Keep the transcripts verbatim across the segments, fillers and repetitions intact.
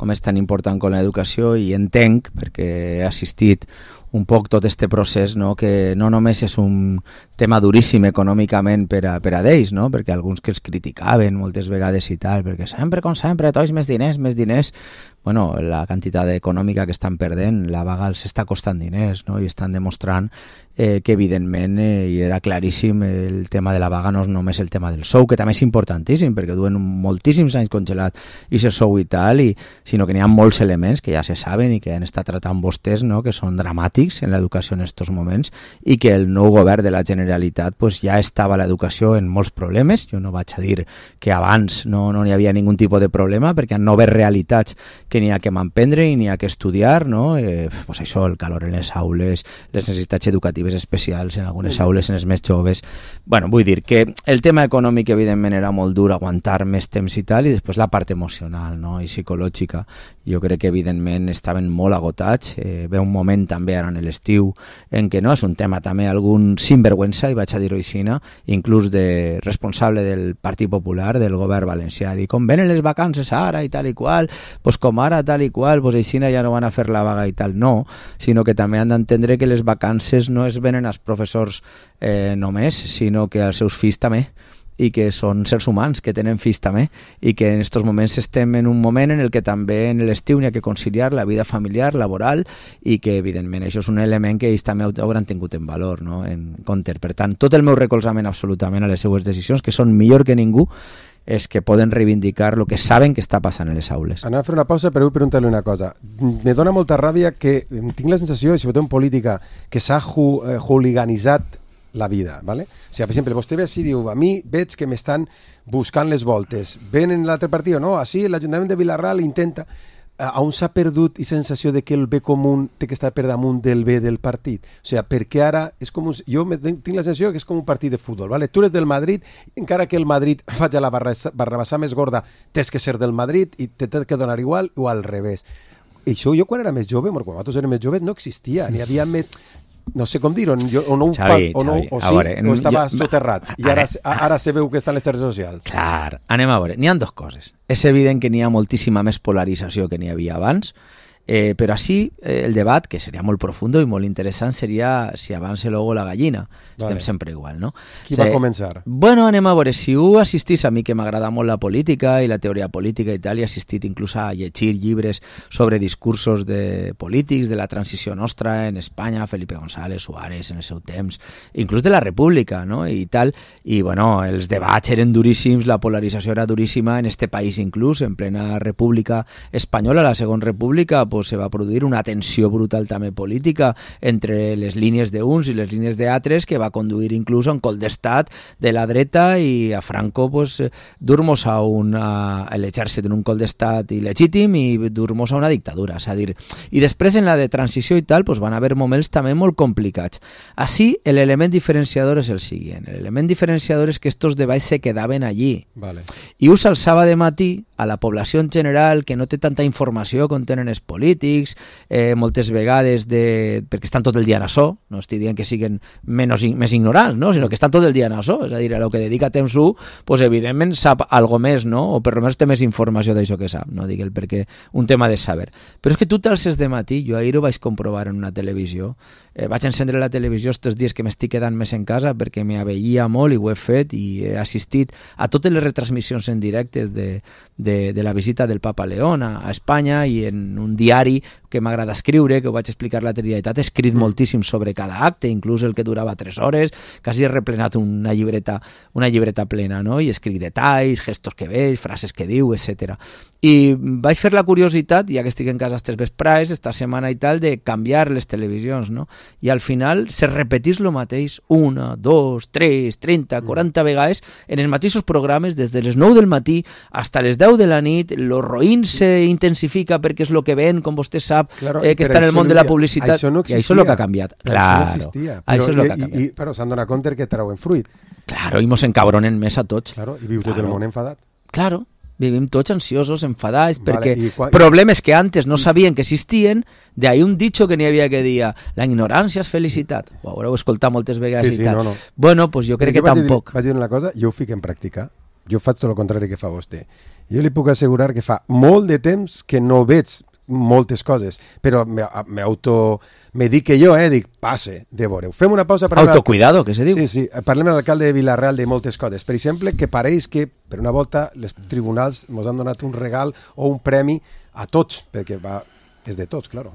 com és tan important com l'educació, i entenc, perquè he assistit un poc tot este procés, no? Que no només és un tema duríssim econòmicament per a, per a d'ells, no? Perquè alguns que els criticaven moltes vegades i tal, perquè sempre, com sempre, tots més diners, més diners. Bueno, la quantitat econòmica que estan perdent, la vaga els està costant diners, no? I estan demostrant eh, que evidentment eh, i era claríssim, el tema de la vaga no és només el tema del sou, que també és importantíssim perquè duen moltíssims anys congelat i se sou i tal, i, sinó que n'hi ha molts elements que ja se saben i que han estat tratant vostès, no? Que són dramàtics en l'educació en aquests moments, i que el nou govern de la Generalitat pues, ja estava l'educació en molts problemes. Jo no vaig a dir que abans no no hi havia ningun tipus de problema, perquè hi ha noves realitats que n'hi ha que m'emprendre i n'hi ha que estudiar, no? Eh, pues això, el calor en les aules, les necessitats educatives especials en algunes aules, en els més joves. Bueno, vull dir que el tema econòmic evidentment era molt dur, aguantar més temps i tal, i després la part emocional, no? I psicològica. Jo crec que evidentment estaven molt agotats. Eh, ve un moment també ara en l'estiu en què no és un tema també algun sinvergüenza, i vaig a dir-ho així, inclús de responsable del Partit Popular, del govern valencià, dir com venen les vacances ara i tal i qual, pues com ara tal i qual, pues així ja no van a fer la vaga i tal. No, sinó que també han d'entendre que les vacances no es venen als professors eh, només, sinó que als seus fills també, i que són sers humans que tenen fills també, i que en aquests moments estem en un moment en el que també en l'estiu n'hi ha que conciliar la vida familiar, laboral, i que evidentment això és un element que ells també hauran tingut en valor, no? En compte. Per tant, tot el meu recolzament absolutament a les seues decisions, que són millor que ningú, és que poden reivindicar el que saben que està passant en les aules. Anem a fer una pausa, però vull preguntar-li una cosa. Me dona molta ràbia que tinc la sensació, sobretot en política, que s'ha ju, eh, hooliganitzat la vida, ¿vale? O sigui, per exemple, vostè ve així i diu, a mi veig que m'estan buscant les voltes. Ven en l'altre partit, no? Així l'Ajuntament de Vilarral intenta... On s'ha perdut i sensació de que el bé comú té que estar per damunt del bé del partit? O sigui, perquè ara és com un... Jo tinc la sensació que és com un partit de futbol, ¿vale? Tu eres del Madrid, encara que el Madrid faci la barrabassà més gorda, tens que ser del Madrid i te té que donar igual, o al revés. I això jo quan era més jove, quan nosaltres érem més joves, no existia, n'hi havia més... No sé com dir-ho, o no, Xavi, o, no, Xavi, o, sí, veure, o estava jo, soterrat i ara, ara se veu que estan les xarxes socials. Clar, anem a veure, n'hi ha dues coses. És evident que n'hi ha moltíssima més polarització que n'hi havia abans, eh, però així eh, el debat, que seria molt profundo i molt interessant, seria si abans el ou o la gallina. Estem vale. Sempre igual, no? Qui o sigui, va començar? Bueno, anem a veure, si ho assistís, a mi que m'agrada molt la política i la teoria política i tal, i he assistit inclús a llegir llibres sobre discursos de polítics de la transició nostra en Espanya, Felipe González, Suárez en el seu temps, inclús de la República, no? I tal, i bueno, els debats eren duríssims, la polarització era duríssima en este país inclús, en plena República Espanyola, la Segona República, pues se va produir una tensió brutal també política entre les línies d'uns i les línies d'altres que va conduir inclús a un cop d'estat de la dreta i a Franco pues, dur-nos a, una, a l'exèrcit en un cop d'estat il·legítim i dur-nos a una dictadura. És a dir, i després en la de transició i tal pues, van haver moments també molt complicats. Així, l'element diferenciador és el següent. L'element diferenciador és que estos debats se quedaven allí. Vale. I us alçava de matí a la població en general que no té tanta informació com tenen els polítics, eh, moltes vegades de... perquè estan tot el dia en açò, no estic dient que siguin menys, més ignorants, no? Sinó que estan tot el dia en açò, és a dir, a lo que dedica temps u, pues, evidentment sap algo més, no? O per almenys té més informació d'això que sap, no? Dic el perquè un tema de saber. Però és que tu t'alces de matí, jo ahir ho vaig comprovar en una televisió, eh, vaig encendre la televisió estos dies que m'estic quedant més en casa perquè m'aveia molt i ho he fet i he assistit a totes les retransmissions en directes de, de, de la visita del Papa León a, a Espanya, i en un diari que m'agrada escriure, que ho vaig explicar l'altre dia i tal, he escrit mm. moltíssim sobre cada acte, inclús el que durava tres hores, quasi he replenat una llibreta, una llibreta plena, no? I escric detalls, gestos que veig, frases que diu, etcètera. I vaig fer la curiositat, ja que estic en casa estes vesprades, esta setmana i tal, de canviar les televisions, no? I al final se repetís lo mateix una, dos, tres, trenta, quaranta vegades en els mateixos programes, des de les nou del matí hasta les deu de la nit. Lo roïn se intensifica perquè és lo que ven, com vostè sap, claro, eh, que està en el món de la publicitat. Això no existia. I això és el que ha canviat. Claro, això no existia. Però, això és el que ha canviat. I, i, però s'han donat compte que trauen fruit. Claro, i mos encabronen més a tots. Claro, i viu tot claro. El món enfadat. Claro. Vivim tots ansiosos, enfadats, perquè vale, quan... problemes que antes no sabien que existien, de ahí un dicho que n'hi havia que dia, la ignorància és felicitat. Ho haureu escoltat moltes vegades sí, sí, i tal. No, no. Bueno, pues jo crec jo que vaig tampoc. Dir, vaig dir una cosa, jo ho fico en pràctica. Jo faig tot el contrari que fa vostè. Jo li puc assegurar que fa molt de temps que no veig moltes coses, però m'auto... me dic que jo, eh, dic, passe, de veure. Fem una pausa... Per Autocuidado, que se diu. Sí, sí, parlem amb l'alcalde de Vila-real de moltes coses. Per exemple, que pareix que, per una volta, els tribunals ens han donat un regal o un premi a tots, perquè va, és de tots, claro.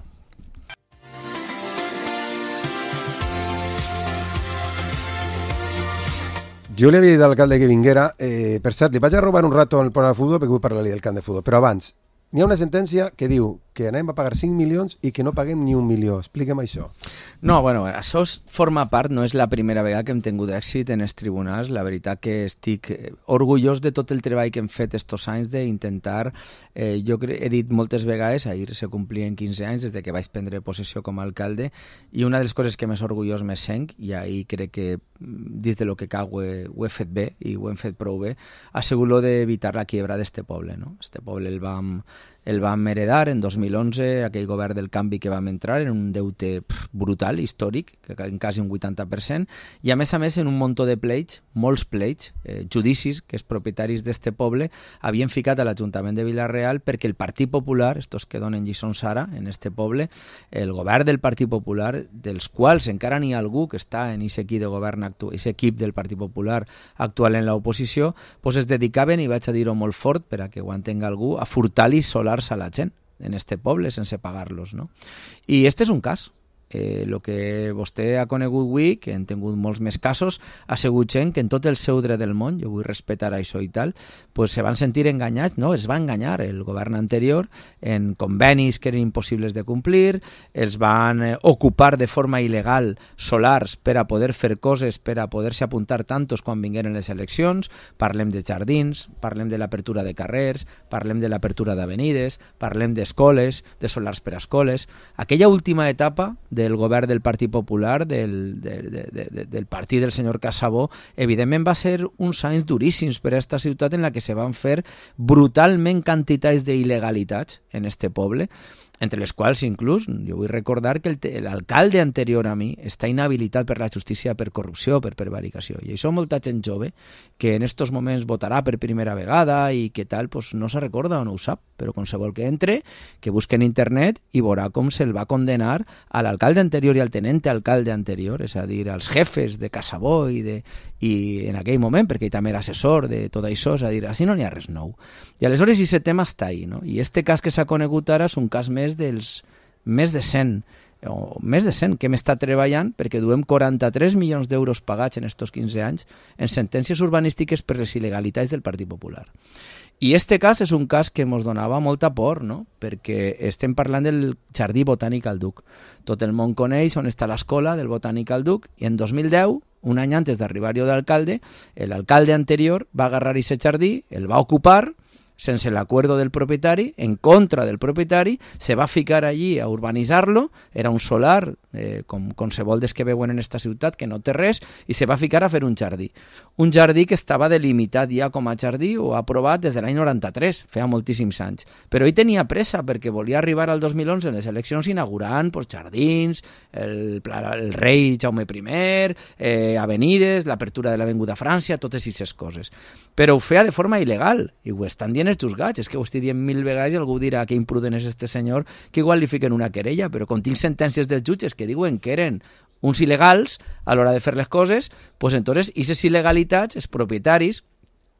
Jo li havia dit a l'alcalde que vinguera, eh, per cert, li vaig a robar un rato en el programa de futbol perquè vull parlar-li del camp de futbol, però abans, n'hi ha una sentència que diu que anem a pagar cinc milions i que no paguem ni un milió. Expliquem això. No, bueno, això forma part, no és la primera vegada que hem tingut èxit en els tribunals. La veritat que estic orgullós de tot el treball que hem fet estos anys d'intentar, eh, jo he dit moltes vegades, ahir se complien quinze anys des de que vaig prendre possessió com a alcalde, i una de les coses que més orgullós me sent, i ahir crec que dins de lo que cal ho he, ho he fet bé i ho hem fet prou bé, ha sigut lo d'evitar la quiebra d'este poble, no? Este poble el vam el vam heredar en dos mil onze, aquell govern del canvi que vam entrar en un deute pff, brutal, històric, que en quasi un vuitanta per cent, i a més a més en un muntó de pleits, molts pleits, eh, judicis que els propietaris d'este poble havien ficat a l'Ajuntament de Vila-real perquè el Partit Popular, estos que donen lliçons ara en este poble, el govern del Partit Popular, dels quals encara n'hi ha algú que està en aquest equip de govern actual, aquest equip del Partit Popular actual en l'oposició, pues es dedicaven, i vaig a dir-ho molt fort per a que ho entenga algú, a furtar-li solar a la gent en este poble sense pagar-los, no? I este és un cas. El eh, que vostè ha conegut avui, que han tingut molts més casos, ha sigut gent que en tot el seu dret del món, jo vull respetar això i tal, pues se van sentir enganyats, no, es va enganyar el govern anterior en convenis que eren impossibles de complir, els van eh, ocupar de forma il·legal solars per a poder fer coses, per a poder-se apuntar tantos quan vingueren les eleccions, parlem de jardins, parlem de l'apertura de carrers, parlem de l'apertura d'avenides, parlem d'escoles, de solars per a escoles. Aquella última etapa del govern del Partit Popular, del, de, de, de, del partit del senyor Casabó, evidentment va ser uns anys duríssims per a aquesta ciutat en la que se van fer brutalment quantitats d'il·legalitats en este poble, entre les quals inclús, jo vull recordar que l'alcalde anterior a mi està inhabilitat per la justícia per corrupció, per prevaricació, i això molta gent jove que en estos moments votarà per primera vegada i que tal, pues no se recorda o no ho sap, però qualsevol que entre, que busque en internet i veurà com se'l va condenar a l'alcalde anterior i al tenente alcalde anterior, és a dir, als jefes de Casabó i, de, i en aquell moment, perquè ell també era assessor de tot això, és a dir, així no n'hi ha res nou. I aleshores aquest tema està ahí, no? I este cas que s'ha conegut ara és un cas més dels més de cent o més de cent que hem estat treballant perquè duem quaranta-tres milions d'euros pagats en estos quinze anys en sentències urbanístiques per les il·legalitats del Partit Popular. I este cas és un cas que ens donava molta por, no? Perquè estem parlant del Jardí Botànic al Duc. Tot el món coneix on està l'escola del Botànic al Duc i en dos mil deu, un any antes d'arribar jo d'alcalde, l'alcalde anterior va agarrar aquest jardí, el va ocupar sense l'acuerdo del propietari, en contra del propietari, se va ficar allí a urbanitzar-lo, era un solar, eh, com qualsevol des que veuen en esta ciutat, que no té res, i se va ficar a fer un jardí. Un jardí que estava delimitat ja com a jardí o aprovat des de l'any noranta-tres, feia moltíssims anys. Però ell tenia pressa perquè volia arribar al dos mil onze en les eleccions inaugurant pues, jardins, el, el rei Jaume primer, eh, avenides, l'apertura de l'Avinguda França, totes aquestes coses. Però ho feia de forma il·legal, i ho estan dient els juzgats, és que ho estic dient mil vegades i algú dirà que imprudent és este senyor, que igual li fiquen una querella, però com tinc sentències dels jutges que diuen que eren uns il·legals a l'hora de fer les coses, pues entonces, aquestes il·legalitats, els propietaris,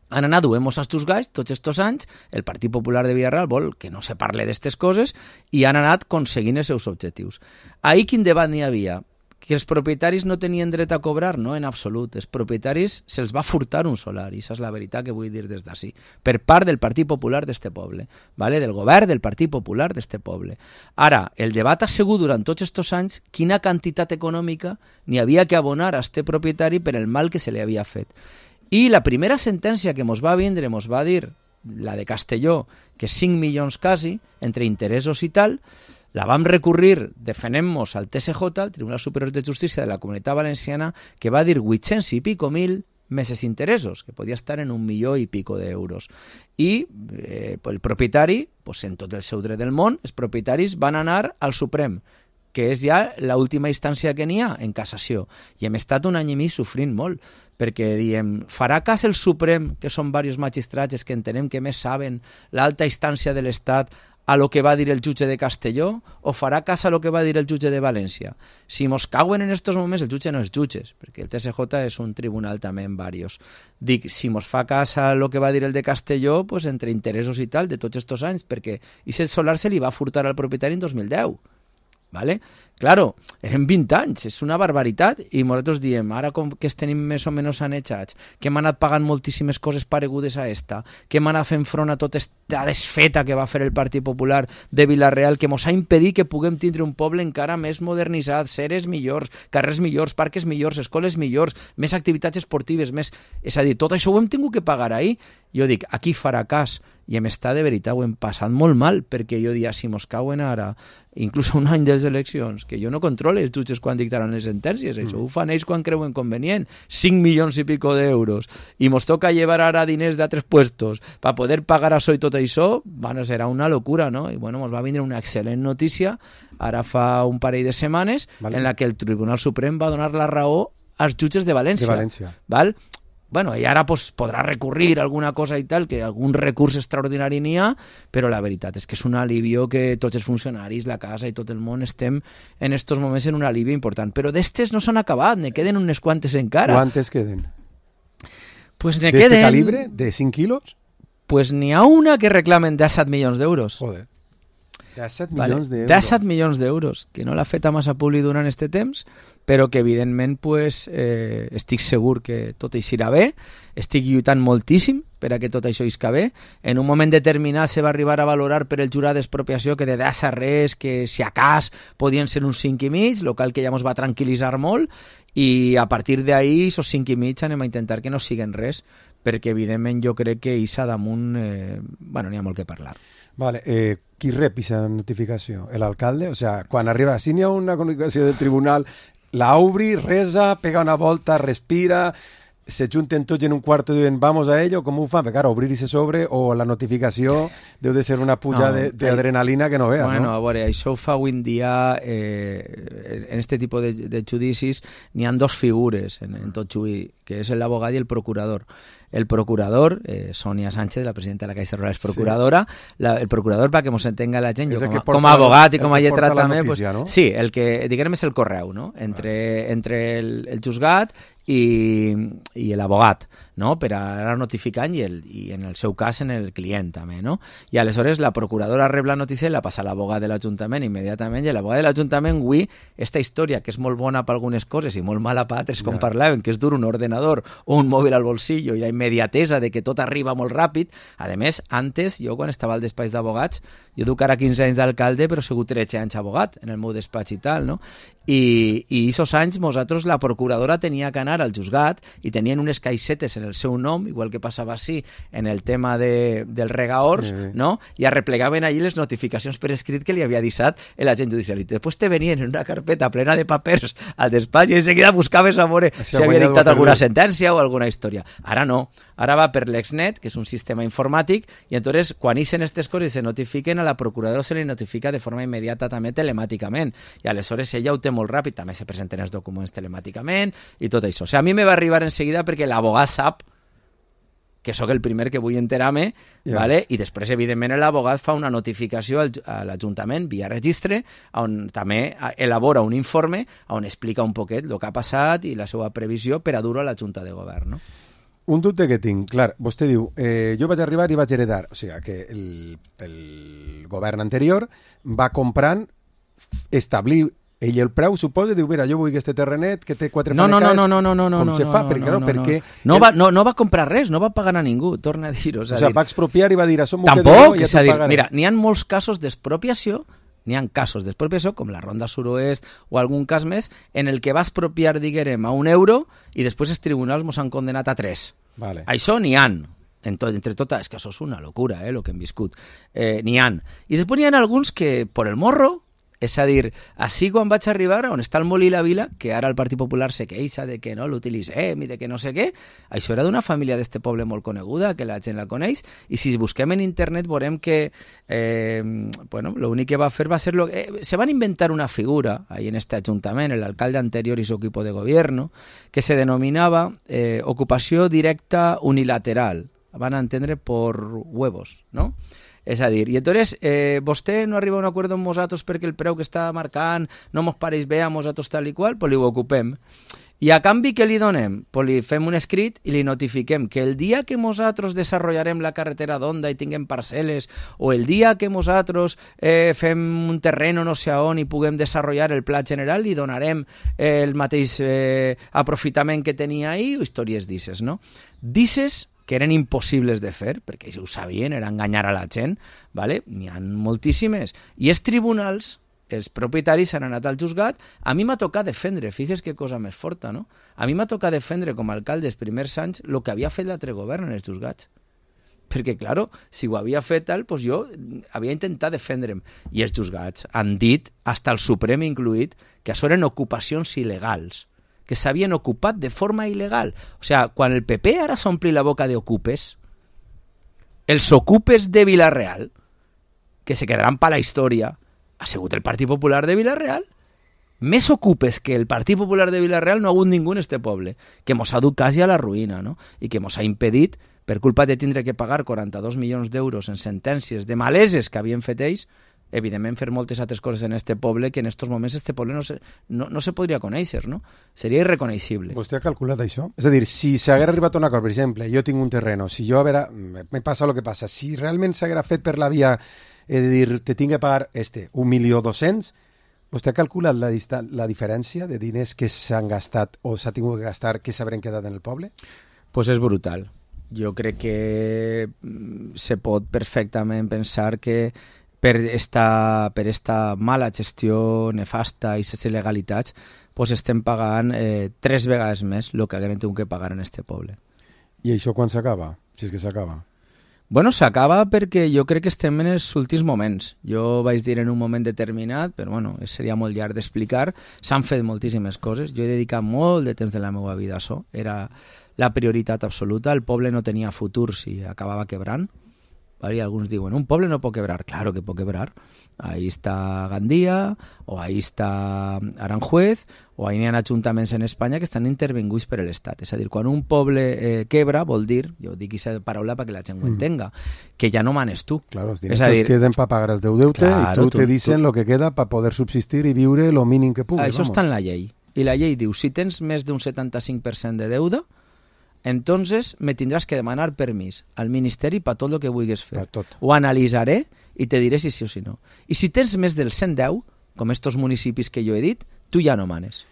han anat duent-nos als juzgats tots estos anys, el Partit Popular de Vila-real vol que no se parle d'estes coses i han anat aconseguint els seus objectius. Ahir quin debat n'hi havia? Que els propietaris no tenien dret a cobrar? No, en absolut. Els propietaris se'ls va furtar un solar, i això és la veritat que vull dir des d'ací, per part del Partit Popular d'este poble, ¿vale? Del govern del Partit Popular d'este poble. Ara, el debat ha sigut durant tots estos anys quina quantitat econòmica n'hi havia que abonar a este propietari per el mal que se li havia fet. I la primera sentència que mos va vindre, mos va dir, la de Castelló, que cinc milions quasi, entre interessos i tal, la vam recurrir defenent-nos al T S J, al Tribunal Superior de Justícia de la Comunitat Valenciana, que va dir vuit-cents i pico mil més els interessos, que podia estar en un milió i pico d'euros. I eh, el propietari, pues, en tot el seu dret del món, els propietaris van anar al Suprem. que és ja l'última instància que n'hi ha en cassació. I hem estat un any i mig sofrint molt, perquè diem, farà cas el Suprem, que són diversos magistrats que entenem que més saben l'alta instància de l'Estat, a lo que va dir el jutge de Castelló, o farà cas a lo que va dir el jutge de València? Si mos cauen en estos moments, el jutge no és jutges, perquè el T S J és un tribunal també en varios. Dic, si mos fa cas a lo que va dir el de Castelló, pues entre interessos i tal, de tots estos anys, perquè Ixet Solar se li va furtar al propietari en dos mil deu. ¿Vale? Claro, eren vint anys, és una barbaritat, i nosaltres diem, ara com que es tenim més o menys sanejats, que hem anat pagant moltíssimes coses paregudes a esta, que hem anat fent front a tota esta desfeta que va fer el Partit Popular de Vila-real, que mos ha impedit que puguem tindre un poble encara més modernitzat, seres millors, carrers millors, parques millors, escoles millors, més activitats esportives, més... És a dir, tot això ho hem tingut que pagar ahir. Jo dic, aquí farà cas, i em està de veritat, ho hem passat molt mal, perquè jo dia, si mos cauen ara, inclús un any de les eleccions, que jo no controle els jutges quan dictaran les sentències, això ho fan ells quan creuen convenient, cinc milions i pico d'euros, i mos toca llevar ara diners d'altres puestos per poder pagar això i tot això, bueno, serà una locura, no? I bueno, mos va vindre una excel·lent notícia, ara fa un parell de setmanes, vale, en la que el Tribunal Suprem va donar la raó als jutges de València. De València. Val? Bueno, i ara pues, podrà recurrir alguna cosa i tal, que algun recurs extraordinari n'hi ha, però la veritat és que és un alivio que tots els funcionaris, la casa i tot el món estem en estos moments en un alivio important. Però d'estes no s'han acabat, ne queden unes quantes encara. Quantes queden? Pues ne ¿De queden... este calibre? ¿De cinc quilos? Pues n'hi ha una que reclamen disset milions d'euros. Joder. disset Vale. milions d'euros. disset milions d'euros, que no l'ha fet a massa publi durant este temps, però que evidentment pues, eh, estic segur que tot això irà bé, estic lluitant moltíssim per a que tot això isca bé. En un moment determinat se va arribar a valorar per el jurat d'expropiació que de dassa res, que si a cas podien ser uns cinc i mig, el qual que ja ens va tranquil·litzar molt, i a partir d'ahir, esos cinc i mig, anem a intentar que no siguen res, perquè evidentment jo crec que Issa damunt, eh, bueno, n'hi ha molt que parlar. Vale, eh, qui rep aquesta notificació? L'alcalde? O sea, quan arriba, si n'hi ha una comunicació del tribunal, la obri, resa, pega una volta, respira, se junten tots en un quarto i diuen vamos a ello, com ho fan? Perquè, claro, obrir-se sobre o la notificació deu de ser una puja no, d'adrenalina que no veas, bueno, no? A veure, això ho fa avui en dia, eh, en este tipus de, de judicis, n'hi ha dos figures en, en tot juí, que és l'abogat i el procurador. El procurador, eh, Sonia Sánchez, la presidenta de la Caixa Rural, és procuradora. Sí. La, el procurador, perquè mos entenga la gent, jo com a, com a abogat i com a lletrat també... Notícia, pues, no? Sí, el que, diguem, és el correu, no? Entre, ah. entre el, el juzgat i, i l'abogat, no? Per anar notificant i, el, i en el seu cas en el client també, no? I aleshores la procuradora rep la notícia i la passa a l'abogat de l'Ajuntament immediatament, i l'abogat de l'Ajuntament, avui, esta història que és molt bona per algunes coses i molt mala per altres, com ja. Parlàvem, que és dur un ordenador o un mòbil al bolsillo i la immediatesa de que tot arriba molt ràpid. A més, antes, jo quan estava al despatx d'abogats, jo duc ara quinze anys d'alcalde, però he sigut tretze anys abogat en el meu despatx i tal, no? I, i aquests anys nosaltres, la procuradora tenia que anar al juzgat i tenien unes caixetes en el seu nom, igual que passava així en el tema de, del regaors, sí. No? I arreplegaven allí les notificacions per escrit que li havia deixat l'agent judicial. I després te venien en una carpeta plena de papers al despatx i en seguida buscaves a veure si havia dictat alguna sentència o alguna història. Ara no. Ara va per l'Exnet, que és un sistema informàtic, i entonces quan ixen aquestes coses se notifiquen, a la procuradora se li notifica de forma immediata també telemàticament, i aleshores ella ho té molt ràpid, també se presenten els documents telemàticament i tot això. O sigui, a mi me va arribar en seguida perquè l'abogat sap que sóc el primer que vull enterar-me, yeah. Vale? I després, evidentment, l'abogat fa una notificació al, a l'Ajuntament via registre, on també elabora un informe on explica un poquet el que ha passat i la seva previsió per a dur-ho a la Junta de Govern, no? Un dubte que tinc, clar, vostè diu, eh, jo vaig arribar i vaig heredar, o sigui, que el, el govern anterior va comprant, establir ell el preu, suposa, diu, mira, jo vull que este terrenet, que té quatre no, fanecaes... No, no, no, no, no, com no, se no, fa? no, perquè, no, no, no, perquè... No, va, no, no va comprar res, no va pagar a ningú, torna a dir-ho. O sigui, va expropiar i va dir, això m'ho Tampoc, quedo, és a dir, pagaré. Mira, n'hi ha molts casos d'expropiació, n'hi ha casos d'expropiació, com la Ronda Suroest o algun cas més, en el que va expropiar, diguem, a un euro i després els tribunals mos han condenat a tres. Vale. Això n'hi ha. En tot, entre totes, és que això és una locura, eh, el que hem viscut. Eh, n'hi ha. I després n'hi ha alguns que, per el morro, És a dir, així quan vaig arribar on està el Molí la Vila, que ara el Partit Popular se queixa de que no l'utilitzem i de que no sé què, això era d'una família d'este poble molt coneguda, que la gent la coneix, i si busquem en internet veurem que eh, bueno, l'únic que va fer va ser... Lo, eh, se van inventar una figura ahí en este ajuntament, el alcalde anterior y su equipo de gobierno, que se denominava eh, ocupació directa unilateral, van a entendre por huevos, no? És a dir, i entonces eh, vostè no arriba a un acord amb nosaltres perquè el preu que està marcant no mos pareix bé a nosaltres tal i qual, pues li ho ocupem. I a canvi què li donem? Pues li fem un escrit i li notifiquem que el dia que nosaltres desenvoluparem la carretera d'Onda i tinguem parcel·les, o el dia que nosaltres eh, fem un terreno no sé on i puguem desenvolupar el pla general, li donarem eh, el mateix eh, aprofitament que tenia ahir, o històries d'isses, no? D'isses que eren impossibles de fer, perquè ells ho sabien, era enganyar a la gent, ¿vale? N'hi ha moltíssimes. I els tribunals, els propietaris han anat al juzgat. A mi m'ha tocat defendre, fixes que cosa més forta, no? A mi m'ha tocat defendre com a alcalde els primers anys el que havia fet l'altre govern en els juzgats. Perquè, claro, si ho havia fet tal, doncs jo havia intentat defendre'm. I els juzgats han dit, hasta el Suprem incluït, que això eren ocupacions il·legals, que s'havien ocupat de forma il·legal. O sigui, quan el P P ara s'ompli la boca d'ocupes, els ocupes de Vila-real, que se quedaran per la història, ha sigut el Partit Popular de Vila-real. Més ocupes que el Partit Popular de Vila-real no ha hagut ningú en este poble, que mos ha dut quasi a la ruïna, no? I que mos ha impedit, per culpa de tindre que pagar quaranta-dos milions d'euros en sentències de maleses que havien fet ells, evidentment fer moltes altres coses en este poble que en estos moments este poble no se, no, no se podria conèixer, no? Seria irreconeixible. Vostè ha calculat això? És a dir, si s'hagués arribat a un acord, per exemple, jo tinc un terreno, si jo, a veure, me passa el que passa, si realment s'hagués fet per la via, és a dir, te tinc que pagar este, un milió dos-cents, vostè ha calculat la, la diferència de diners que s'han gastat o s'ha tingut que gastar que s'haurien quedat en el poble? Pues és brutal. Jo crec que se pot perfectament pensar que per esta, per esta mala gestió nefasta i les il·legalitats, pues estem pagant eh, tres vegades més el que haguem tingut que pagar en este poble. I això quan s'acaba? Si és que s'acaba. Bueno, s'acaba perquè jo crec que estem en els últims moments. Jo vaig dir en un moment determinat, però bueno, seria molt llarg d'explicar. S'han fet moltíssimes coses. Jo he dedicat molt de temps de la meva vida a això. Era la prioritat absoluta. El poble no tenia futur si acabava quebrant. ¿Vale? Y algunos diuen, un poble no pot quebrar. Claro que pot quebrar. Ahí está Gandía, o ahí está Aranjuez, o ahí n'hi ha ajuntaments en Espanya que estan intervinguts per l'Estat. És a dir, quan un poble eh, quebra, vol dir, jo dic aquesta paraula perquè la gent ho entenga, mm. que ja no manes tu. Claro, els diners es dir, queden para pagar els teu deute claro, i tu, tu te dicen tu... lo que queda para poder subsistir i viure lo mínim que puguis. Això està en la llei. I la llei diu, si tens més d'un setanta-cinc per cent de deuda, entonces me tindràs que demanar permís al Ministeri per tot el que vulguis fer. Ho analitzaré i te diré si sí o si no. I si tens més del cent deu, com estos municipis que jo he dit, tu ja no manes.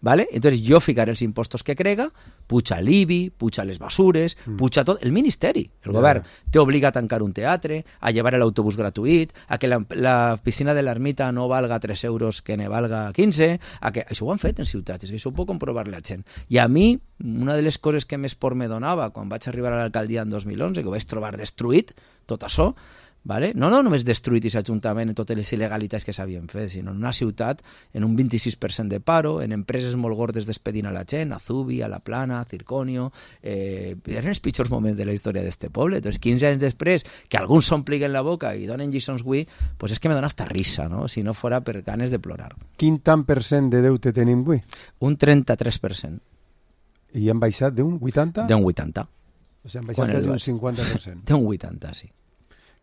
¿Vale? Entonces jo ficaré els impostos que crega, puja l'I B I, puja les basures, mm. puja tot, el Ministeri, el yeah. govern, t'obliga a tancar un teatre, a llevar l'autobús gratuït, a que la, la piscina de l'ermita no valga tres euros que ne valga quinze, a que això ho han fet en ciutats, és que això ho pot comprovar la gent. I a mi, una de les coses que més por me donava quan vaig arribar a l'alcaldia en dos mil onze, que ho vaig trobar destruït, tot això, ¿vale? No, no només destruït i s'ajuntament en totes les il·legalitats que s'havien fet, sinó en una ciutat en un vint-i-sis per cent de paro, en empreses molt gordes despedint a la gent, a Zubi, a La Plana, a Circonio, eh, eren els pitjors moments de la història d'este poble. Entonces, quinze anys després, que alguns s'ompliguen la boca i donen lliçons avui, pues és que me dona hasta risa, no? Si no fora per ganes de plorar. Quin tant per cent de deute tenim avui? Un trenta-tres per cent. I han baixat d'un vuitanta? D'un vuitanta. O sigui, han baixat quasi un cinquanta per cent. D'un vuitanta, sí.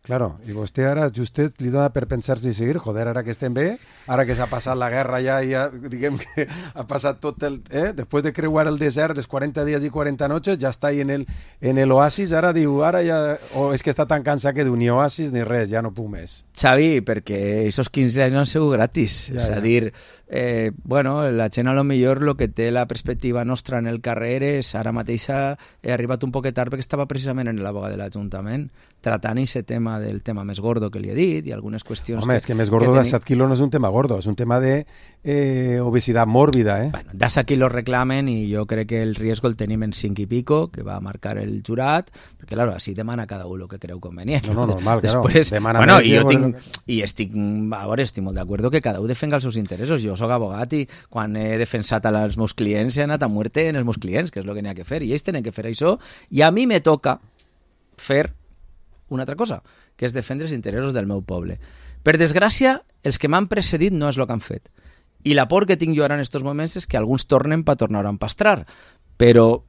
Claro, i vostè ara, justet, li dona per pensar-se i seguir, joder, ara que estem bé, ara que s'ha passat la guerra ja, ja diguem que ha passat tot el... Eh? Després de creuar el desert dels quaranta dies i quaranta noches, ja està ahí en el, en el oasis, ara diu, ara ja... O és que està tan cansat que diu, ni oasis ni res, ja no puc més. Xavi, perquè aquests quinze anys no han sigut gratis. Ja, és a ja. dir, eh, bueno, la gent a lo millor el que té la perspectiva nostra en el carrer és, ara mateixa he arribat un poquet tard perquè estava precisament en la boga de l'Ajuntament tratant aquest tema tema del tema més gordo que li he dit i algunes qüestions... Home, que, és que més gordo que de set quilos no és un tema gordo, és un tema de eh, obesidad mòrbida, eh? Bueno, de set quilos reclamen i jo crec que el riesgo el tenim en cinc i pico, que va marcar el jurat, perquè, claro, així demana cada un el que creu convenient. No, no, normal, Després, claro. Demana bueno, més i jo i tinc, i estic, a veure, estic molt d'acord que cada un defenga els seus interessos. Jo sóc abogat i quan he defensat als meus clients he anat a muerte en els meus clients, que és el que n'hi ha que fer, i ells tenen que fer això, i a mi me toca fer una altra cosa, que és defendre els interessos del meu poble. Per desgràcia, els que m'han precedit no és el que han fet. I la por que tinc jo ara en aquests moments és que alguns tornen per tornar a empastrar. Però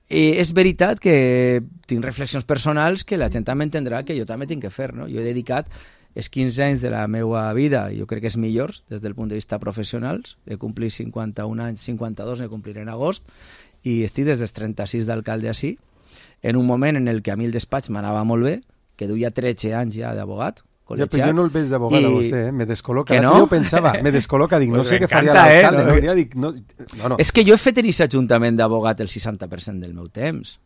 eh, és veritat que tinc reflexions personals que la gent també entendrà que jo també tinc que fer, no? Jo he dedicat els quinze anys de la meva vida, jo crec que és millors des del punt de vista professional. He complit cinquanta-un anys, cinquanta-dos ne compliré en agost, i estic des dels trenta-sis d'alcalde així, en un moment en el que a mi el despatx m'anava molt bé, que duia tretze anys ja d'abogat, col·legiat. Ja, jo no el veig d'abogat a vostè, eh? Me descol·loca. Que no? Jo pensava, me descol·loca, dic, no pues sé què faria eh? l'alcalde. No, no, ja dic, no, no, no. És que jo he fet en aquest ajuntament d'abogat el seixanta per cent del meu temps.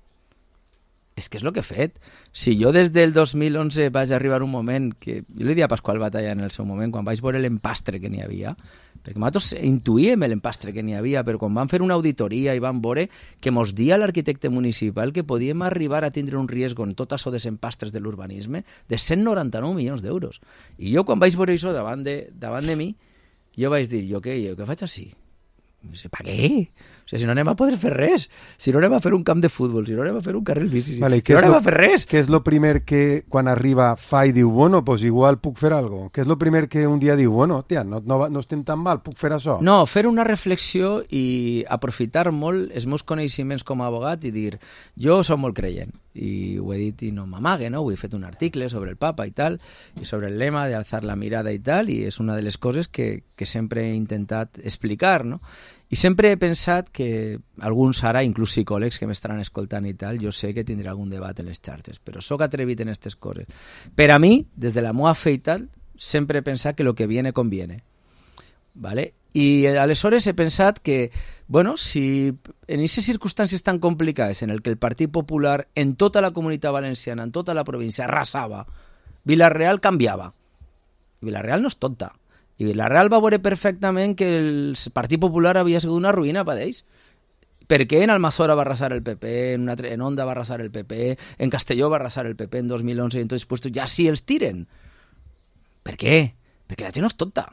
És que és el que he fet. Si jo des del dos mil onze vaig arribar a un moment que... Jo li diria a Pasqual Batalla en el seu moment, quan vaig veure l'empastre que n'hi havia, perquè nosaltres intuïem l'empastre que n'hi havia, però quan vam fer una auditoria i vam veure que mos dia l'arquitecte municipal que podíem arribar a tindre un riesgo en tot això dels empastres de l'urbanisme de cent noranta-nou milions d'euros. I jo quan vaig veure això davant de, davant de mi, jo vaig dir, jo què, jo què faig així? Per què? O sigui, si no anem a poder fer res, si no anem a fer un camp de futbol, si no anem a fer un carril bici, si, vale, si no anem lo, a fer res. Què és el primer que quan arriba fa i diu, bueno, pues igual puc fer algo? Què és el primer que un dia diu, bueno, tia, no, no, no estem tan mal, puc fer això? No, fer una reflexió i aprofitar molt els meus coneixements com a abogat i dir, jo soc molt creient, i ho he dit i no m'amague, no? Ho he fet un article sobre el papa i tal, i sobre el lema de alzar la mirada i tal, i és una de les coses que, que sempre he intentat explicar, no? I sempre he pensat que alguns ara, inclús psicòlegs que m'estaran escoltant i tal, jo sé que tindré algun debat en les xarxes, però sóc atrevit en aquestes coses. Per a mi, des de la meva fe i tal, sempre he pensat que lo que viene conviene. ¿Vale? I aleshores he pensat que, bueno, si en aquestes circumstàncies tan complicades en el que el Partit Popular en tota la comunitat valenciana, en tota la província, arrasava, Vila-real canviava. Vila-real no és tonta. I Vila-real va veure perfectament que el Partit Popular havia sigut una ruïna per ells. Per què en Almassora va arrasar el P P, en, una, en Onda va arrasar el P P, en Castelló va arrasar el P P en dos mil onze i en tots els puestos ja sí els tiren? Per què? Perquè la gent no és tonta.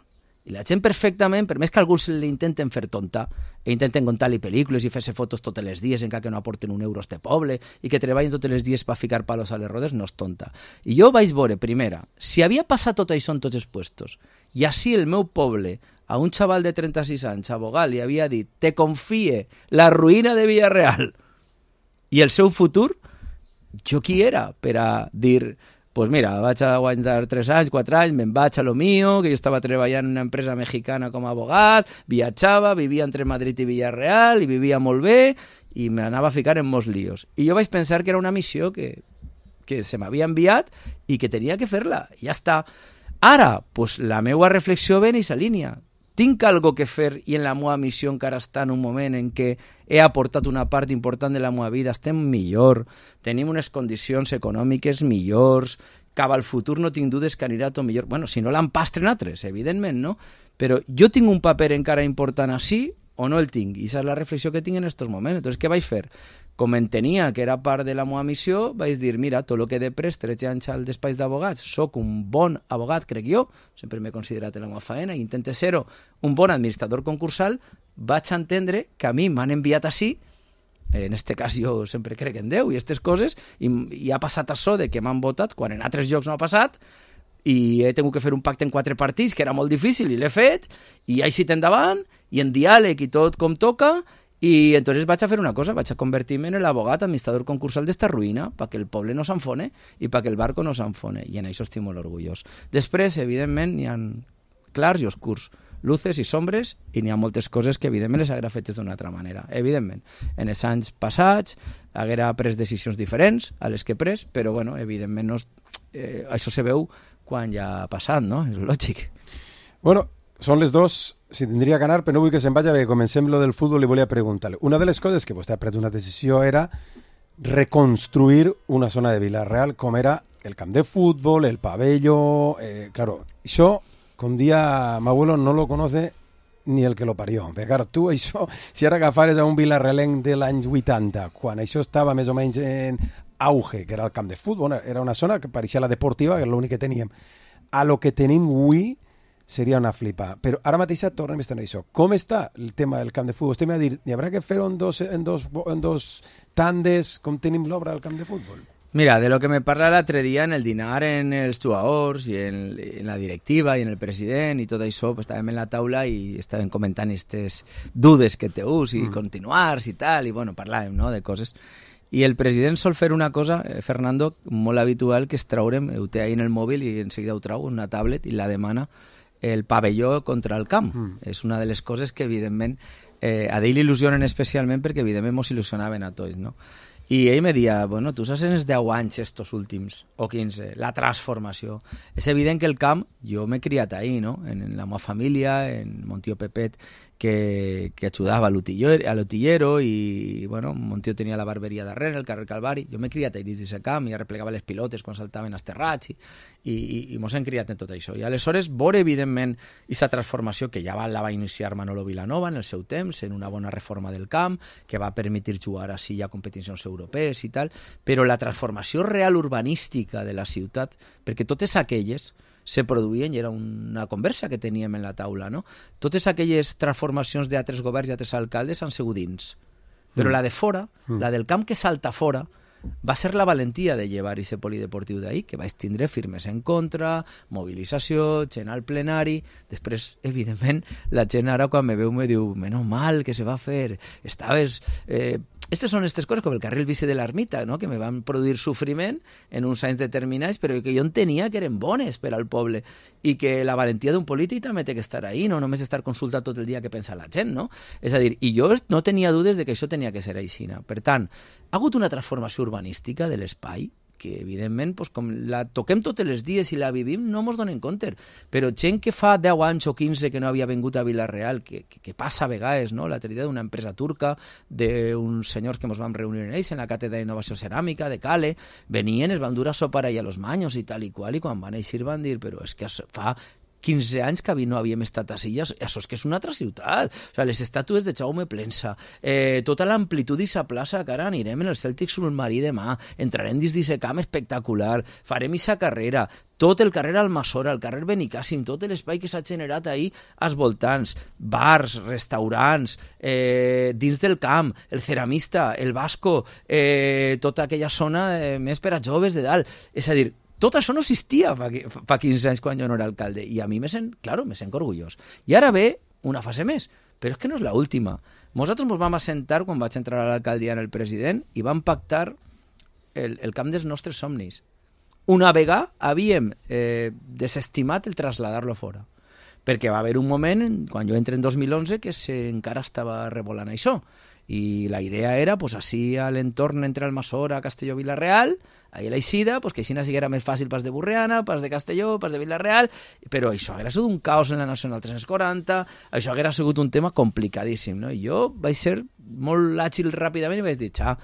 I la gent perfectament, per més que alguns l'intenten fer tonta, i intenten contar-li pel·lícules i fer-se fotos tots els dies encara que no aporten un euro a este poble i que treballen tots els dies per ficar palos a les rodes, no és tonta. I jo vaig veure, primera, si havia passat tot això en tots els puestos i així el meu poble, a un xaval de trenta-sis anys, abogat, li havia dit te confie la ruïna de Vila-real i el seu futur, jo qui era per a dir... Pues mira, vaig a aguantar tres anys, quatre anys, me'n vaig a lo mío, que jo estava treballant en una empresa mexicana com a abogat, viatjava, vivia entre Madrid i Villarreal, i vivia molt bé, i m'anava a ficar en molts líos. I jo vaig pensar que era una missió que, que se m'havia enviat i que tenia que fer-la. Ja està. Ara, pues, la meva reflexió ve en aquesta línia. Tinc algo que fer i en la meva missió encara està en un moment en què he aportat una part important de la meva vida, estem millor, tenim unes condicions econòmiques millors, cap al futur no tinc dudes que anirà tot millor. Bueno, si no l'empastren altres, evidentment, no? Però jo tinc un paper encara important així o no el tinc? I aquesta és la reflexió que tinc en aquests moments. Entonces, què vaig fer? Com entenia que era part de la meva missió, vaig dir, mira, tot el que he de pres tretze anys al despatx d'abogats, soc un bon abogat, crec jo, sempre m'he considerat en la meva feina, i intente ser-ho un bon administrador concursal, vaig entendre que a mi m'han enviat així, en este cas jo sempre crec en Déu i aquestes coses, i, i ha passat això de que m'han votat quan en altres llocs no ha passat, i he tingut que fer un pacte en quatre partits, que era molt difícil, i l'he fet, i he eixit endavant, i en diàleg i tot com toca, i entonces vaig a fer una cosa, vaig a convertir-me en l'abogat administrador concursal d'esta ruïna perquè el poble no s'enfone i perquè el barco no s'enfone, i en això estic molt orgullós. Després, evidentment, n'hi ha clars i oscurs, luces i sombres, i n'hi ha moltes coses que evidentment les haguera fetes d'una altra manera. Evidentment, en els anys passats haguera pres decisions diferents a les que he pres, però bueno, evidentment no, eh, això se veu quan ja ha passat, no? És lògic. Bueno, són les dos, si tindria que anar, però no vull que se'n vagi, perquè comencem lo del futbol i volia preguntar-li. Una de les coses que vostè ha pres una decisió era reconstruir una zona de Vila-real com era el camp de fútbol, el pabelló... Eh, claro, això, com dia mi abuelo no lo conoce ni el que lo parió. Perquè, clar, tu això, si ara agafares a un vilarrelenc de l'any vuitanta, quan això estava més o menys en auge, que era el camp de futbol, era una zona que pareixia la deportiva, que és l'únic que teníem, a lo que tenim avui seria una flipa. Però ara mateix tornem a estar en això. Com està el tema del camp de futbol? Estem a dir, n'hi haurà que fer-ho en dos, en, dos, en dos tandes, com tenim l'obra del camp de futbol? Mira, de lo que me parla l'altre dia en el dinar en els jugadors i en, en la directiva i en el president i tot això, pues, estàvem en la taula i estàvem comentant aquestes dudes que teus i mm. continuars i tal, i bueno, parlàvem, no?, de coses. I el president sol fer una cosa, eh, Fernando, molt habitual, que és traure'm, ho té ahí en el mòbil i en seguida ho trau, una tablet, i la demana el pavelló contra el camp. Mm. És una de les coses que, evidentment, eh, a ell il·lusionen especialment perquè, evidentment, mos il·lusionaven a tots, no? I ell me deia, bueno, tu saps en els deu anys estos últims, o quinze, la transformació. És evident que el camp, jo m'he criat ahí, no?, en, en la meva família, en mon tio Pepet, que, que ajudava a l'utillero i, bueno, mon tio tenia la barberia darrere, el carrer Calvari. Jo m'he criat ahí dins d'aquest camp i arreplegava les pilotes quan saltaven als terrats i, i, i, i mos hem criat en tot això. I aleshores, veure, evidentment, aquesta transformació que ja va, la va iniciar Manolo Vilanova en el seu temps, en una bona reforma del camp, que va permetre jugar així a competicions europees i tal, però la transformació real urbanística de la ciutat, perquè totes aquelles se produïen, i era una conversa que teníem en la taula, no? Totes aquelles transformacions d'altres governs i altres alcaldes han sigut dins. Però mm. la de fora, mm. la del camp que salta fora, va ser la valentia de llevar aquest polideportiu d'ahir, que vaig tindre firmes en contra, mobilització, gent al plenari. Després, evidentment, la gent ara quan me veu me diu, menos mal que se va fer, estaves... Eh, Estes són aquestes coses com el carril bici de l'ermita, no?, que me van produir sofriment en uns anys determinats, però que jo entenia que eren bones per al poble i que la valentia d'un polític també té que estar ahí, no només estar consultat tot el dia que pensa la gent, no? És a dir, i jo no tenia dudes de que això tenia que ser així. Per tant, ha hagut una transformació urbanística de l'espai que, evidentment, pues, com la toquem tots els dies i la vivim, no mos donem compte. Però gent que fa deu anys o quinze que no havia vingut a Vila-real, que, que, que passa a vegades, no?, l'altre dia d'una empresa turca, d'uns senyors que ens vam reunir en ells, en la càtedra d'innovació ceràmica de Cale, venien, es van dur a sopar allà a los Maños i tal i qual, i quan van eixir van dir, però és que fa quinze anys que no havíem estat així, això és que és una altra ciutat. O sigui, les estàtues de Jaume Plensa, eh, tota l'amplitud d'aquesta plaça, que ara anirem en el Cèltic Submarí demà, entrarem dins d'aquest camp espectacular, farem aquesta carrera, tot el carrer Almassora, el carrer Benicàssim, tot l'espai que s'ha generat ahir als voltants, bars, restaurants, eh, dins del camp, el ceramista, el Vasco, eh, tota aquella zona eh, més per a joves de dalt. És a dir, tot això no existia fa, fa quinze anys quan jo no era alcalde, i a mi me sent, claro, me sent orgullós. I ara ve una fase més, però és que no és l'última. Nosaltres ens vam assentar quan vaig entrar a l'alcaldia en el president i vam pactar el, el camp dels nostres somnis. Una vegada havíem eh, desestimat el traslladar-lo fora, perquè va haver un moment, quan jo entré en dos mil onze, que se, encara estava revolant això, i la idea era, pues, així a l'entorn entre Almassora, Castelló, Vila-real, ahí a l'Eixida, pues, que així era més fàcil pas de Burriana, pas de Castelló, pas de Vila-real, però això haguera sigut un caos en la Nacional tres-cents quaranta, això haguera sigut un tema complicadíssim, no? I jo vaig ser molt àgil ràpidament i vaig dir, xa,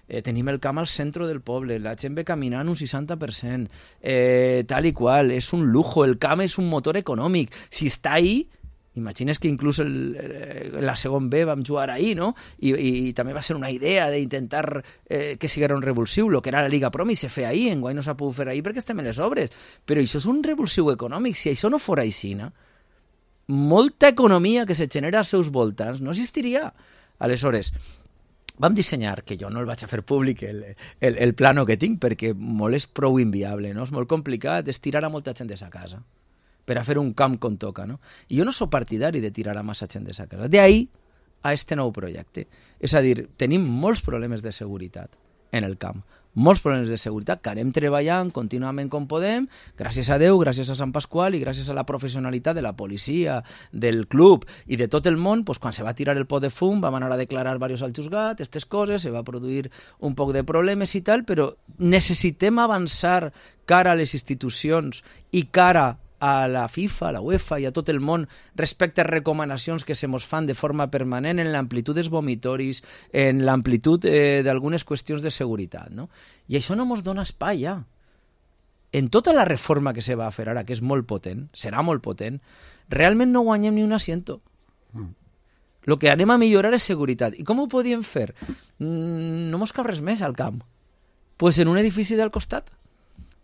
eh, tenim el camp al centre del poble, la gent ve caminant un seixanta per cent, eh, tal i qual, és un lujo, el camp és un motor econòmic, si està ahí, imagines que inclús el, la segon B vam jugar ahir, no? I, i, i també va ser una idea d'intentar eh, que siguera un revulsiu, el que era la Liga Promi se feia ahir, enguany no s'ha pogut fer ahir perquè estem en les obres, però això és un revulsiu econòmic. Si això no fora aixina, molta economia que se genera als seus voltants no existiria. Aleshores, vam dissenyar, que jo no el vaig a fer públic, el, el, el plano que tinc, perquè molt és prou inviable, no? És molt complicat, és tirar a molta gent de sa casa per a fer un camp com toca, no? I jo no sóc partidari de tirar a massa gent de sa casa. D'ahí a este nou projecte. És a dir, tenim molts problemes de seguretat en el camp, molts problemes de seguretat que anem treballant contínuament com podem, gràcies a Déu, gràcies a Sant Pasqual i gràcies a la professionalitat de la policia, del club i de tot el món, doncs, quan se va tirar el pot de fum vam anar a declarar diversos al juzgat, aquestes coses, se va produir un poc de problemes i tal, però necessitem avançar cara a les institucions i cara a la FIFA, a la UEFA i a tot el món respecte a recomanacions que se mos fan de forma permanent en l'amplitud dels vomitoris, en l'amplitud eh, d'algunes qüestions de seguretat, no? I això no mos dona espai ja. en tota la reforma que se va a fer ara, que és molt potent, serà molt potent, realment no guanyem ni un asiento. Mm. El que anem a millorar és seguretat. I com ho podíem fer? Mm, no mos cal res més al camp. Pues en un edifici del costat.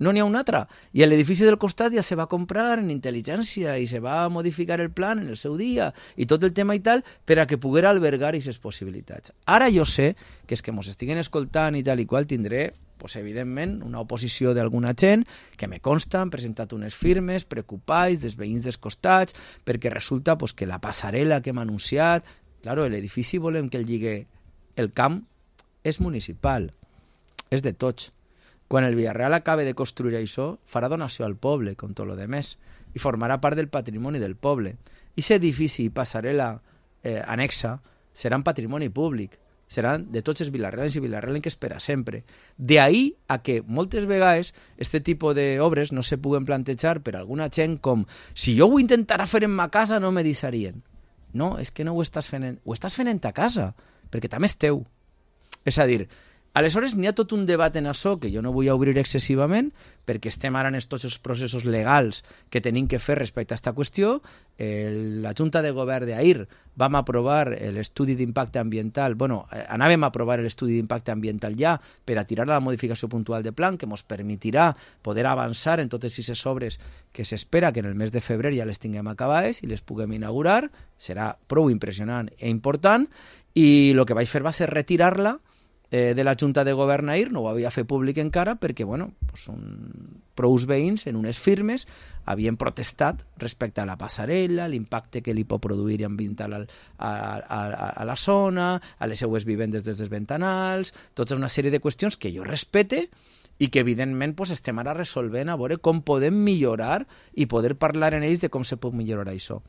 No n'hi ha un altre. I l'edifici del costat ja se va comprar en intel·ligència i se va modificar el plan en el seu dia i tot el tema i tal per a que poguera albergar aquestes possibilitats. Ara jo sé que és que mos estiguen escoltant i tal i qual tindré, pues, evidentment, una oposició d'alguna gent que me consta, han presentat unes firmes preocupats dels veïns dels costats perquè resulta pues, que la passarel·la que hem anunciat, claro, l'edifici volem que el lligue el camp, és municipal, és de tots. Quan el Villarreal acabe de construir això, farà donació al poble, com tot lo demés, i formarà part del patrimoni del poble. I aquest edifici i passarel·la eh, anexa seran patrimoni públic, seran de tots els vilarrealens i vilarrealenques per a sempre. De ahí a que moltes vegades este tipus d'obres no se puguen plantejar per alguna gent com si jo ho intentara fer en ma casa no me deixarien. No, és que no ho estàs fent, en... ho estàs fent en ta casa, perquè també és teu. És a dir, aleshores n'hi ha tot un debat en això que jo no vull obrir excessivament perquè estem ara en tots els processos legals que tenim que fer respecte a aquesta qüestió. El, la Junta de Govern d'ahir vam aprovar l'estudi d'impacte ambiental, bueno, anàvem a aprovar l'estudi d'impacte ambiental ja per a tirar la modificació puntual de plan que ens permetirà poder avançar en totes aquestes obres que s'espera que en el mes de febrer ja les tinguem acabades i les puguem inaugurar. Serà prou impressionant i important i el que vaig fer va ser retirar-la de la Junta de Govern ahir, no ho havia fet públic encara perquè, bueno, pues un... prous veïns en unes firmes havien protestat respecte a la passarel·la, l'impacte que li pot produir ambiental a, a, a, a la zona, a les seues vivendes des dels ventanals, tota una sèrie de qüestions que jo respete i que evidentment pues, estem ara resolvent a veure com podem millorar i poder parlar en ells de com se pot millorar això.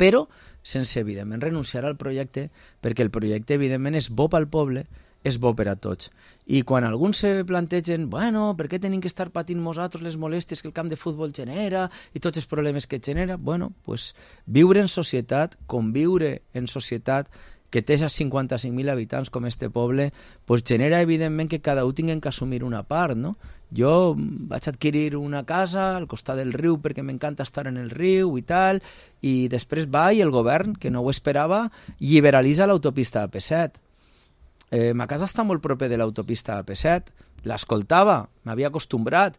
Però sense, evidentment, renunciar al projecte, perquè el projecte, evidentment, és bo pel poble, és bo per a tots. I quan alguns se plantegen, bueno, per què tenim que estar patint nosaltres les molèsties que el camp de futbol genera i tots els problemes que genera, bueno, pues viure en societat, conviure en societat que té cinquanta-cinc mil habitants com este poble, pues genera evidentment que cada un tingui que assumir una part, no? Jo vaig adquirir una casa al costat del riu perquè m'encanta estar en el riu i tal, i després va i el govern, que no ho esperava, liberalitza l'autopista A P set. Eh, ma casa està molt proper de l'autopista A P set, l'escoltava, m'havia acostumbrat,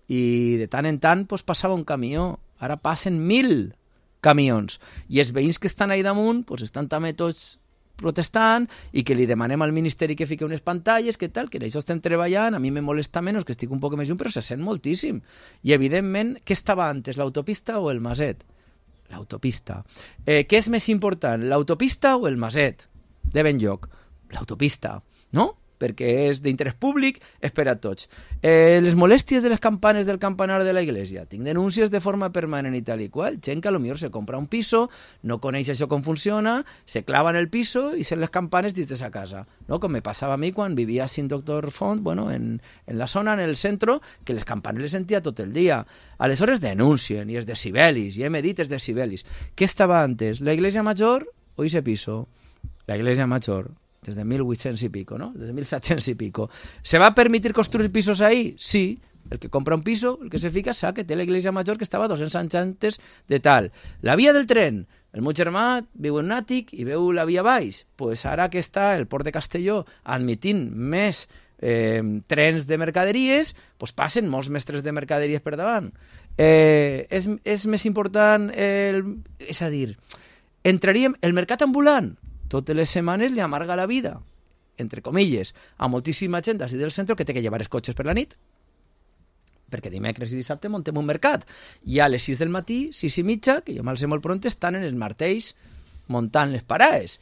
i de tant en tant pues, passava un camió. Ara passen mil camions, i els veïns que estan ahí damunt pues, estan també tots protestant i que li demanem al Ministeri que fiqui unes pantalles, que tal, que en això estem treballant, a mi me molesta menys que estic un poc més lluny, però se sent moltíssim. I evidentment, què estava antes, l'autopista o el maset? L'autopista. Eh, què és més important, l'autopista o el maset? De ben lloc. L'autopista, no? Perquè és d'interès públic, és per a tots. Eh, les molèsties de les campanes del campanar de la iglesia. Tinc denúncies de forma permanent i tal i qual. Gent que potser se compra un piso, no coneix això com funciona, se clava en el piso i sent les campanes dins de sa casa. No? Com me passava a mi quan vivia a Sin Doctor Font, bueno, en, en la zona, en el centre, que les campanes les sentia tot el dia. Aleshores denuncien, i els decibelis, i hem dit els decibelis. Què estava antes, la iglesia major o ese piso? La iglesia major. Desde mil vuit-cents i pico, ¿no? Desde mil set-cents i pico. ¿Se va a permitir construir pisos ahí? Sí. El que compra un piso, el que se fica, sabe que té la iglesia major que estava dos-cents anys antes de tal. La via del tren. El meu germà viu en un àtic i veu la via baix. Pues ara que està el port de Castelló admitint més eh, trens de mercaderies, pues passen molts mestres de mercaderies per davant. Eh, és, és més important, el, és a dir, entraríem el mercat ambulant. Totes les setmanes li amarga la vida, entre comilles, a moltíssima gent d'ací del centre que té que llevar els cotxes per la nit, perquè dimecres i dissabte muntem un mercat. I a les sis del matí, sis i mitja, que jo me'ls sé molt pront, estan en els martells muntant les parades.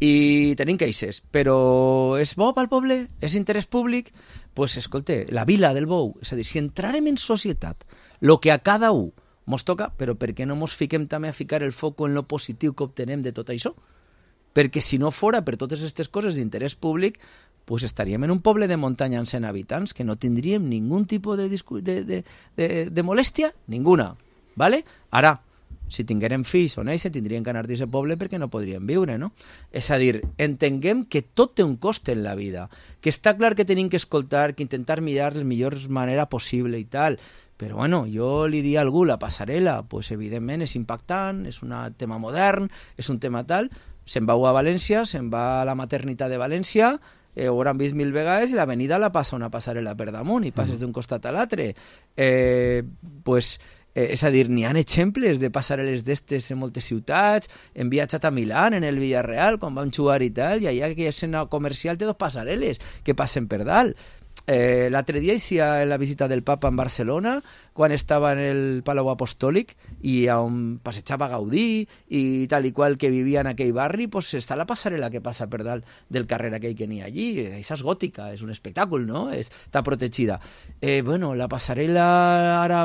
I tenim queixes. Però és bo pel poble? És interès públic? Doncs, pues, escolta, la vila del bou. És a dir, si entrarem en societat, el que a cada un mos toca, però per què no mos fiquem també a ficar el foc en lo positiu que obtenem de tot això? Perquè si no fora per totes aquestes coses d'interès públic, pues estaríem en un poble de muntanya amb cent habitants que no tindríem ningú tipus de, de, de, de, de molèstia, ninguna. ¿Vale? Ara, si tinguérem fills o néixer, tindrien que anar d'aquest poble perquè no podrien viure, no? És a dir, entenguem que tot té un cost en la vida, que està clar que tenim que escoltar, que intentar mirar la millor manera possible i tal, però bueno, jo li diria a algú, la passarel·la, pues evidentment és impactant, és un tema modern, és un tema tal, se'n va a València, se'n va a la maternitat de València, eh, ho hauran vist mil vegades i l'avenida la passa una passarel·la per damunt i passes d'un costat a l'altre. Eh, pues, eh, és a dir, n'hi ha exemples de passarel·les d'estes en moltes ciutats. Hem viatjat a Milán, en el Villarreal, quan vam jugar i tal, i allà aquella escena comercial té dos passarel·les que passen per dalt. Eh, l'altre dia hicía la visita del Papa en Barcelona quan estava en el Palau Apostòlic i on passejava Gaudí i tal i qual que vivia en aquell barri, pues està la passarel·la que passa per dalt del carrer aquell que n'hi ha allí. Això és gòtica, és un espectacle, no? Està protegida. Eh, bueno, la passarel·la ara,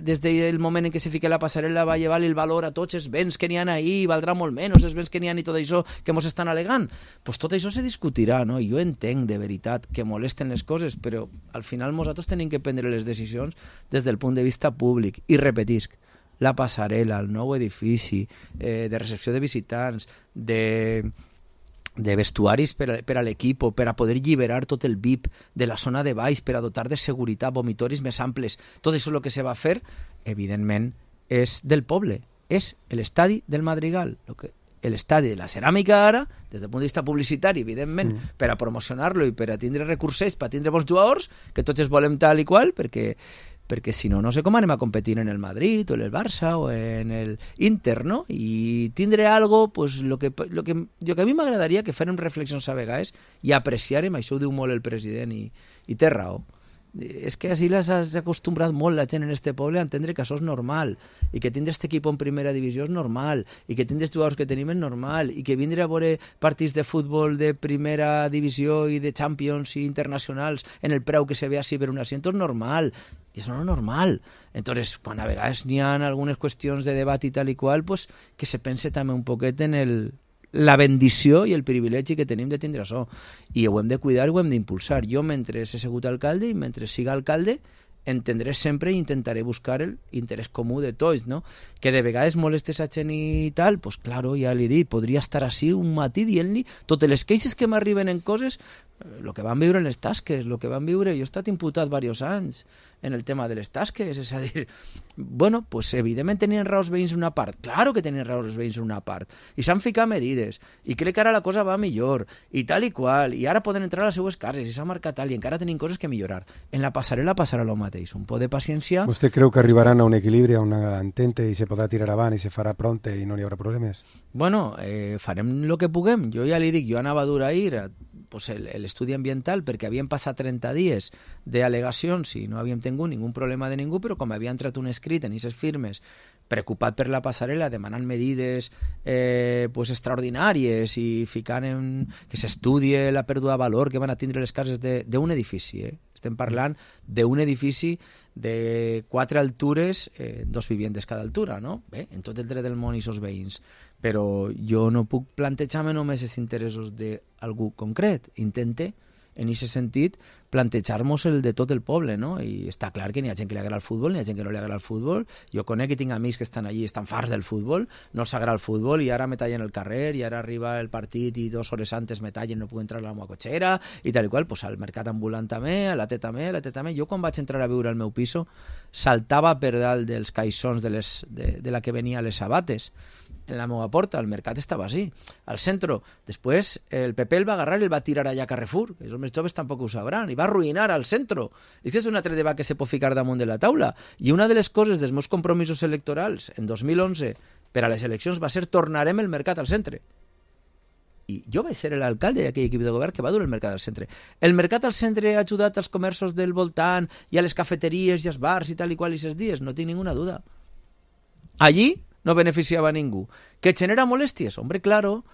des del moment en què se fica la passarel·la, va llevar el valor a tots els béns que n'hi ha ahí, valdrà molt menys els béns que n'hi ha i tot això que mos estan alegant. Pues tot això se discutirà, no? Jo entenc de veritat que molesten les coses, però al final nosaltres tenim que prendre les decisions des del punt de vista públic. I repetisc, la passarel·la, el nou edifici eh, de recepció de visitants, de, de vestuaris per a, per a l'equip, per a poder alliberar tot el V I P de la zona de baix, per a dotar de seguretat, vomitoris més amples, tot això el que se va fer, evidentment, és del poble, és l'estadi del Madrigal, el que l'estadi de la ceràmica ara, des del punt de vista publicitari, evidentment, mm. per a promocionar-lo i per a tindre recursos, per a tindre bons jugadors, que tots els volem tal i qual, perquè, perquè si no, no sé com anem a competir en el Madrid o en el Barça o en el Inter, no? I tindre algo, pues, lo que, lo que, lo que a mi m'agradaria que fèrem reflexions a vegades i apreciarem, això ho diu molt el president i, i té raó. És que així les has acostumbrat molt la gent en este poble a entendre que això és normal i que tindre este equip en primera divisió és normal i que tindre els jugadors que tenim és normal i que vindre a veure partits de futbol de primera divisió i de Champions i internacionals en el preu que se ve així per un asiento és normal i això no és normal. Entonces, quan a vegades n'hi ha algunes qüestions de debat i tal i qual, pues, que se pense també un poquet en el la bendició i el privilegi que tenim de tindre això. I ho hem de cuidar i ho hem d'impulsar. Jo, mentre he sigut alcalde i mentre siga alcalde, entendré sempre i intentaré buscar el interès comú de tots, no? Que de vegades molestes a gent i tal, pues claro, ja li dic, podria estar així un matí dient-li totes les queixes que m'arriben en coses, el que van viure en les tasques, el que van viure... Jo he estat imputat diversos anys en el tema de les tasques, és a dir, bueno, pues evidentment tenien raó els veïns una part, claro que tenien raó els veïns una part, i s'han ficat medides, i crec que ara la cosa va millor, i tal i qual, i ara poden entrar a les seues cases, i s'ha marcat tal, i encara tenim coses que millorar. En la passarel·la passarà el mateix, un poc de paciència... ¿Usted creu que arribaran a un equilibri, a una entente, i se podrà tirar avant, i se farà pronte, i no hi haurà problemes? Bueno, eh, farem el que puguem. Jo ja li dic, jo anava a dur ahir pues, l'estudi ambiental perquè havien passat trenta dies d'al·legacions i no havíem tingut ningú problema de ningú, però com havia entrat un escrit en aquestes firmes preocupat per la passarel·la, demanant medides eh, pues, extraordinàries i ficant en que s'estudie la pèrdua de valor que van a tindre les cases d'un edifici. Eh? Estem parlant d'un edifici de quatre altures, eh, dos viviendes cada altura, no? Bé, en tot el dret del món i els veïns. Però jo no puc plantejar-me només els interessos d'algú concret. Intente, en aquest sentit, plantejar-nos el de tot el poble, no? I està clar que n'hi ha gent que li agrada el futbol, n'hi ha gent que no li agrada el futbol. Jo conec i tinc amics que estan allí, estan farts del futbol, no s'agrada el futbol i ara me tallen el carrer i ara arriba el partit i dues hores antes me tallen, no puc entrar a la meva cotxera i tal i qual, pues al mercat ambulant també, a la T també, a la T també. Jo quan vaig entrar a viure al meu piso saltava per dalt dels caixons de, les, de, de la que venia a les sabates en la meva porta, el mercat estava així, al centre. Després el P P el va agarrar i el va tirar allà a Carrefour, els més joves tampoc ho sabran, i va arruïnar al centre. És que és un altre debat que se pot ficar damunt de la taula. I una de les coses dels meus compromisos electorals en dos mil onze per a les eleccions va ser tornarem el mercat al centre. I jo vaig ser l'alcalde d'aquell equip de govern que va dur el mercat al centre. El mercat al centre ha ajudat als comerços del voltant i a les cafeteries i als bars i tal i qual i ses dies, no tinc ninguna duda. Allí no beneficiava a ningú. Que genera molèsties? Hombre, claro,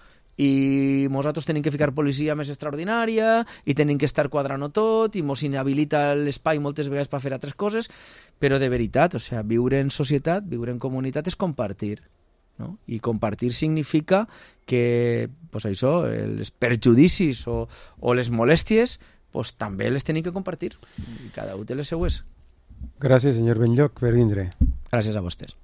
i nosaltres tenim que ficar policia més extraordinària i tenim que estar quadrant-ho tot i mos inhabilita l'espai moltes vegades per fer altres coses, però de veritat, o sea, viure en societat, viure en comunitat és compartir, no? I compartir significa que pues això, els perjudicis o, o les molèsties pues, també les tenim que compartir i cada un té les seues. Gràcies, senyor Benlloch, per vindre. Gràcies a vostès.